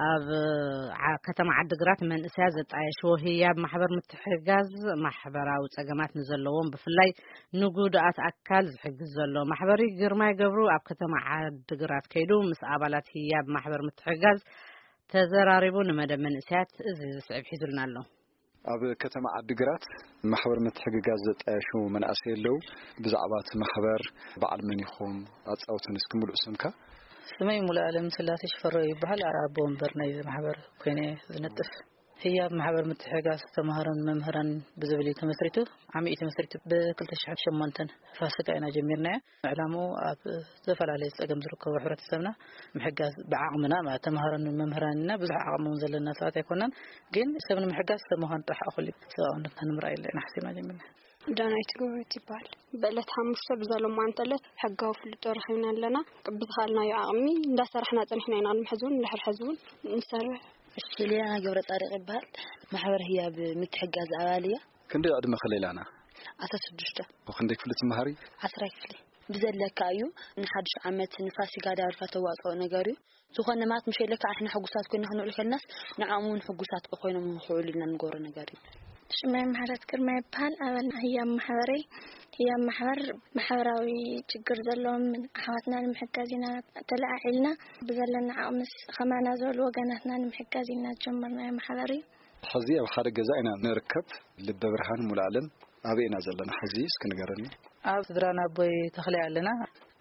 ኣብ ዓ-፣ ከተማ ዓድግራት መንእሰያት ዘጣየሽዎ ህያብ ማሕበር ምትሕጋዝ ማሕበራዊ ጸገማት ንዘለዎም ብፍላይ ንጉድኣት ኣካል ዝሕግዝ ዘሎ ማሕበር እዩ። ግርማይ ገብሩ ኣብ ከተማ ዓድግራት ከይዱ ምስ ኣባላት ህያብ ማሕበር ምትሕጋዝ ተዘራሪቡ ንመደብ መንእሰያት እዚ ዝስዕብ ሒዙልና ኣሎ። ኣብ ከተማ ዓድግራት ማሕበር ምትሕግጋዝ ዘጣየሹ መናእሰይ ኣለዉ። ብዛዕባ እቲ ማሕበር በዓል መን ኢኹም? ኣጻውተን እስኪ ምሉእ ስምካ። ስመይ ሙሉኣለም ስላሴ ሽፈራው ይበሃል። ኣቦ ወንበር ናይዚ ማሕበር ኮይነ ዝነጥፍ። ህያብ ማሕበር ምትሕጋዝ ተምሃሮን መምህራን ብዝብል እዩ ተመስሪቱ። ዓሚ እዩ ተመስሪቱ። ብ ክልተ ሽሕን ሸሞንተን ፋሲካ ኢና ጀሚርናዮ። ዕላምኡ ኣብ ዝተፈላለየ ጸገም ዝርከቡ ሕብረተሰብና ምሕጋዝ ብዓቕምና፣ ማለት ተምሃሮን መምህራንና ብዙሕ ዓቕሚ እውን ዘለና ሰባት ኣይኮናን፣ ግን ሰብ ንምሕጋዝ ሰብ ምዃን ጥራሕ እኹል እዩ። ሰብኣውነትና ንምርኣይ ኢልና ኢና ሓሲብና ጀሚርና። ዳናይት ጎበዝ ይበሃል። ብዕለት ሓሙሽተ ብዛ ሎማዓንቲ ዕለት ሕጋዊ ፍልጦ ረኺብና ኣለና። ብዝኸኣልናዮ ዓቕሚ እንዳሰራሕና ጸኒሕና ኢና። ቅድሚ ሕዚ እውን እንድሕር ሕዚ እውን ንሰርሕ። ሄሌና ገብረ ጻድቕ ይበሃል። ማሕበር ህያብ ምትሕጋዝ ኣባል እያ። ክንደይ ዕድመ ከለላና? ዓሰርተ ሽዱሽተ። ክንደይ ክፍሊ ትመሃሪ? ዓስራይ ክፍሊ። ብዘለካ እዩ። ንሓድሽ ዓመት ንፋሲካ ዳርካ ተዋፅኦ ነገር እዩ። ዝኾነ ማለት ምሸለካ ኣሕና ሕጉሳት ኮይና ክንውዕል ከልናስ ንዓኦም እውን ሕጉሳት ኮይኖም ክውዕሉ ኢልና ንገብሮ ነገር እዩ። ሽመይ ምሕረት ግርማ ይበሃል። ኣባል ህያብ ማሕበረይ። ህያብ ማሕበር ማሕበራዊ ችግር ዘለዎም ኣሕዋትና ንምሕጋዝ ኢና ተለዓዒልና። ብዘለና ዓቕምስ ከማና ዝበሉ ወገናትና ንምሕጋዝ ኢና ዝጀመርናዮ ማሕበር እዩ። ሕዚ ኣብ ሓደ ገዛ ኢና ንርከብ። ልበ ብርሃን ሙሉኣለም፣ ኣበይ ኢና ዘለና ሕዚ? እስኪ ንገረኒ። ኣብ ስድራና ኣቦይ ተኽላይ ኣለና።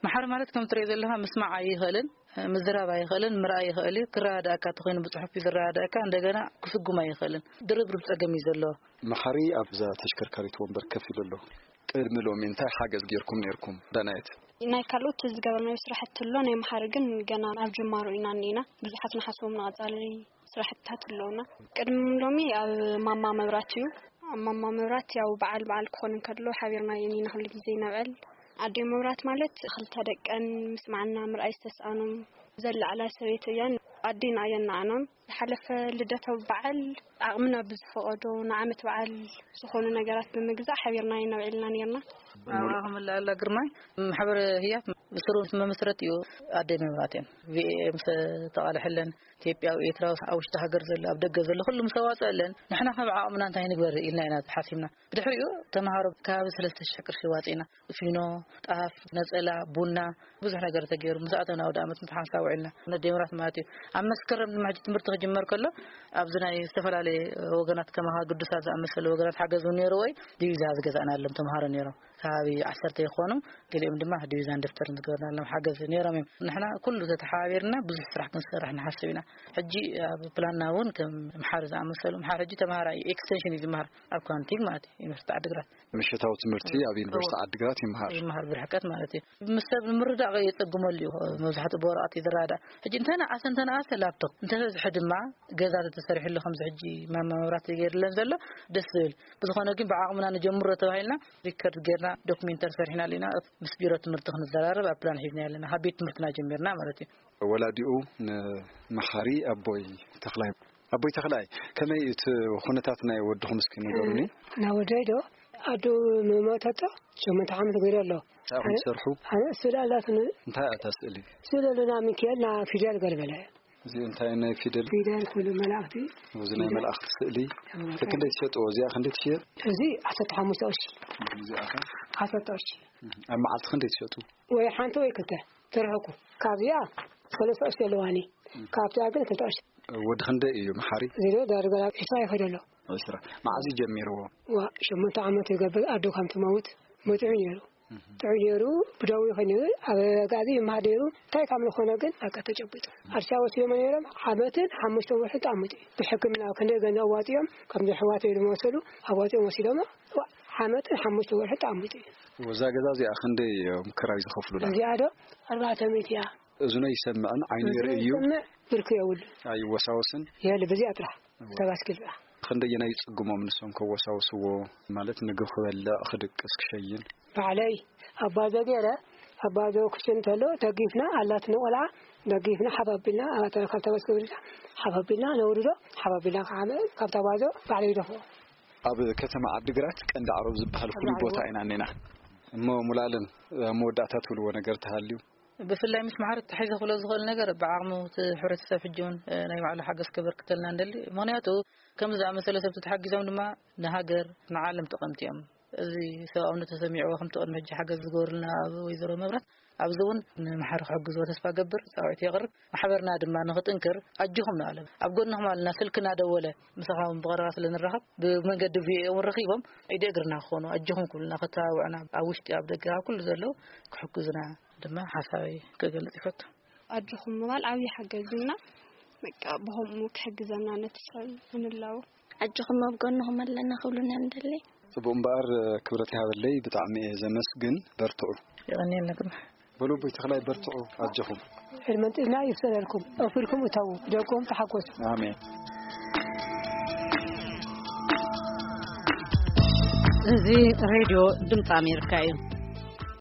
ማሕበር ማለት ከም ትሪኦ ዘለኻ ምስማዕ ኣይኽእልን፣ ምዝራብ ኣይኽእልን፣ ምርኣይ ይኽእል እዩ። ክረዳዳእካ እንተኾይኑ ብጽሑፍ እዩ ዝረዳዳእካ፣ እንደገና ክስጉም ኣይኽእልን። ድርብርብ ጸገም እዩ ዘለዎ። መሓሪ ኣብዛ ተሽከርካሪት ወንበር ከፍ ኢሉ ኣሎ። ቅድሚ ሎሚ እንታይ ሓገዝ ጌርኩም ኔርኩም? ዳናየት። ናይ ካልኦት ዝገበርናዮ ስራሕቲ ኣሎ፣ ናይ መሓሪ ግን ገና ኣብ ጅማሮ ኢና እኒና። ብዙሓት ንሓስቦም ንቐጻሊ ስራሕትታት ኣለውና። ቅድሚ ሎሚ ኣብ ማማ መብራት እዩ። ኣብ ማማ መብራት ያው በዓል በዓል ክኾን እንከሎ ሓቢርና ኢና ኩሉ ግዜ ነብዕል። ኣደይ መብራት ማለት ክልተ ደቀን ምስማዕና ምርኣይ ዝተስኣኖም ዘለዓላ ሰበይቲ እያን ኣዴና እያን ንዓናን። ዝሓለፈ ልደታዊ በዓል ዓቕምና ብዝፈቐዶ ንዓመት በዓል ዝኾኑ ነገራት ብምግዛእ ሓቢርና ኢና ነብዕልና ነርና። ኣበባ ክምልኣላ ግርማይ ማሕበር ህያብ ብስሩ መመስረት እዩ። ኣደይ መብራት እየን። ቪኤም ዝተቓልሐለን ኢትዮጵያ፣ ኤርትራ፣ ኣብ ውሽጢ ሃገር ዘሎ፣ ኣብ ደገ ዘሎ፣ ኩሉ ምስ ኣዋፅኣለን፣ ንሕና ካብ ዓቕምና እንታይ ንግበር ኢልና ኢና ሓሲብና። ብድሕሪኡ ተምሃሮ ከባቢ ሰለስተ ሽሕ ቅርሺ ዋፂና፣ ፊኖ፣ ጣፍ፣ ነፀላ፣ ቡና፣ ብዙሕ ነገር ተገይሩ። ምስ ኣተና ወደ ዓመት ምትሓንሳ ውዒልና፣ ነደምራት ማለት እዩ። ኣብ መስከረም ድማ ሕጂ ትምህርቲ ክጅመር ከሎ፣ ኣብዚ ናይ ዝተፈላለየ ወገናት ከማኻ ግዱሳት ዝኣመሰሉ ወገናት ሓገዝ እውን ነይርዎ እዩ። ዲቪዛ ዝገዛእናሎም ተምሃሮ ነይሮም። ከባቢ ዓሰርተ ይኾኑ፣ ገሊኦም ድማ ዲቪዛን ደፍተርን ዝገበርናሎም ሓገዝ ነይሮም እዮም። ንሕና ኩሉ ተተሓባቢርና ብዙሕ ስራሕ ክንሰርሕ ንሓስብ ኢና። ሕጂ ኣብ ፕላንና እውን ከም ምሓር ዝኣመሰሉ፣ ምሓር ሕጂ ተምሃራይ ኤክስቴንሽን እዩ ዝምሃር ኣብ ኳንቲግ ማለት እዩ፣ ዩኒቨርሲቲ ዓድግራት። ምሽታዊ ትምህርቲ ኣብ ዩኒቨርሲቲ እዎ። ዓድግራት ይምሃር። ይምሃር ብርሕቀት ማለት እዩ። ምስ ሰብ ንምርዳእ የጸግመሉ እዩ። መብዛሕትኡ ብወረቐት እዩ ዝረዳእ። ሕጂ እንተነኣሰ፣ እንተነኣሰ ላፕቶፕ፣ እንተበዝሐ ድማ ገዛ ተተሰሪሕሉ ከምዚ ሕጂ ማማ መብራት ገይርለን ዘሎ ደስ ዝብል። ብዝኾነ ግን ብዓቕምና ንጀምሮ ተባሂልና ሪከርድ ጌርና ዶክሜንተሪ ሰሪሕናሉ ኢና። ምስ ቢሮ ትምህርቲ ክንዘራረብ ኣብ ፕላን ሒዝና ኣለና። ካብ ቤት ትምህርትና ጀሚርና ማለት እዩ። ወላዲኡ ንመሓሪ ኣቦይ ተኽላይ። ኣቦይ ተኽላይ፣ ከመይ እቲ ኩነታት ናይ ወድኹም እስኪ ንገሩኒ? ናይ ወደይ ዶ? ኣዱ መሞተቶ ሸሞንተ ዓመት ገይሩ ኣሎ። እንታይ ኢኹም ትሰርሑ? ኣነ ስእሊ ኣላትኒ። እንታይ እያ እታ ስእሊ? ስእሊ ኣለና ሚካኤል ና ፊደል ገልበለ። እዚ እንታይ ናይ ፊደል? ፊደል ኩሉ መላእኽቲ። እዚ ናይ ፊደል። መላእኽቲ ስእሊ። እዎ። ክንደይ ትሸጥዎ? እዚኣ ክንደይ ትሽየጥ? እዚ ዓሰርተ ሓሙሽተ ቅርሺ። እዚኣ ከ? ዓሰርተ ቅርሺ። ኣብ መዓልቲ ክንደይ ትሸጡ? ወይ ሓንቲ ወይ ክልተ ትርሕኩ። ካብዚኣ ሰለስተ ቅርሺ ኣለዋኒ። ካብዚኣ ግን ክልተ ቅርሺ። ወዲ ክንደይ እዩ መሓሪ? እዚ ዶ ዳርጋ ናብ ዕስራ ይኸይድ ኣሎ። ዕስራ። መዓዝ እዩ ጀሚርዎ? ዋ፣ ሸሞንተ ዓመት ይገብር ኣዶ ከም ትመውት መጺዑ ነይሩ። እህ። ጥዑይ ነይሩ፣ ብደዊ ኮይኑ ኣብ ኣጋዚ ይመሃር ነይሩ። እንታይ ካብ ዝኾነ ግን በቃ ተጨቢጡ። ኣዲስ ኣበባ ወሲዶሞ ነይሮም፣ ዓመትን ሓሙሽተ ወርሒ ተቐሚጡ እዩ። ብሕክምና ክንደይ ገንዘብ ኣዋጺኦም፣ ከምዚ ኣሕዋተይ ዝመሰሉ ኣዋጺኦም ወሲዶሞ፣ ዋ፣ ዓመትን ሓሙሽተ ወርሒ ተቐሚጡ እዩ። እዛ ገዛ እዚኣ ክንደይ እዮም ክራይ ዝኸፍሉላ? እዚኣ ዶ ኣርባዕተ ሚእቲ እያ። እዝኑ ኣይሰምዕን፣ ዓይኑ እዚ ይርኢ እዩ። ይሰምዕ፣ ብርኩ የብሉን። ኣይወሳወስን? የለ፣ በዚኣ ጥራሕ። እዎ። እታ ባስኬል ጥራሕ። ክንደየናይ ይጽግሞም ንሶም ከወሳውስዎ? ማለት ምግቢ ክበልዕ፣ ክድቅስ፣ ክሸይን? ባዕለይ ኣባዞ ገይረ፣ ኣባዞ ክሽን እንተሎ ደጊፍና፣ ኣላትና ቆልዓ ደጊፍና፣ ሓፍ ኣቢልና፣ ኣብታ፣ ካብታ ባስኬል ሓፍ ኣቢልና ነውርዶ፣ ሓፍ ኣቢልና ካብ፣ ካብታ ባዞ ባዕለይ ይደፍኦ። ኣብ ከተማ ዓድግራት ቀንዲ ዓረብ ዝበሃል ፍሉይ ቀንዲ ዓረብ። ቦታ ኢና እኒና። እሞ ሙሉኣለም፣ ኣብ መወዳእታ ትብልዎ ነገር ተሃልዩ? ብፍላይ ምስ ማሕበር ተታሒዘ ክብሎ ዝኽእል ነገር፣ ብዓቕሙ እቲ ሕብረተሰብ ሕጂ እውን፣ እ፣ ናይ ባዕሉ ሓገዝ ከበርክተልና ንደሊ። ምኽንያቱ ከምዚ ዝኣመሰለ ሰብ ተተሓጊዞም ድማ ንሃገር፣ ንዓለም ጠቐምቲ እዮም። እዚ ሰብኣውነት ተሰሚዕዎ ከምቲ ቅድሚ ሕጂ ሓገዝ ዝገበሩልና ኣብ ወይዘሮ መብራት፣ ኣብዚ እውን ንማሕበር ክሕግዝዎ ተስፋ ገብር፣ ጻውዒት የቕርብ። ማሕበርና ድማ ንኽጥንክር ኣጆኹም ንኣለም። ኣብ ጎንኹም ኣለና። ስልክና ደወለ፣ ምሳኻ እውን ብቐረባ ስለ ንራኸብ፣ ብመንገዲ ቪኦኤ እውን ረኺቦም ኢደ እግርና ክኾኑ፣ ኣጆኹም ክብሉና፣ ክተባብዑና፣ ኣብ ውሽጢ ኣብ ደገ ኣብ ኩሉ ዘለዉ ክሕግዙና ድማ ሓሳበይ ክገልጽ ይፈቱ። ኣጆኹም ምባል ዓብዪ ሓገዝ እዩና። በቃ ብኸምኡ ክሕግዘና ነቲ ሰብ ንላቦ። ኣጆኹም ኣብ ጎንኹም ኣለና ክብሉና ንደሊ። ጽቡቕ እምበኣር፣ ክብረት ይሃበለይ፣ ብጣዕሚ እየ ዘመስግን። በርትዑ። የቐንየልና ግርማ። በሉ ኣቦይ ተኽላይ፣ በርትዑ፣ ኣጆኹም። ዕድመን ጥዕና ይፍጠረልኩም። ኣኽቢርኩም እተዉ፣ ደቆም ተሓጎሱ። ኣሜን። እዚ ሬድዮ ድምፂ ኣሜሪካ እዩ።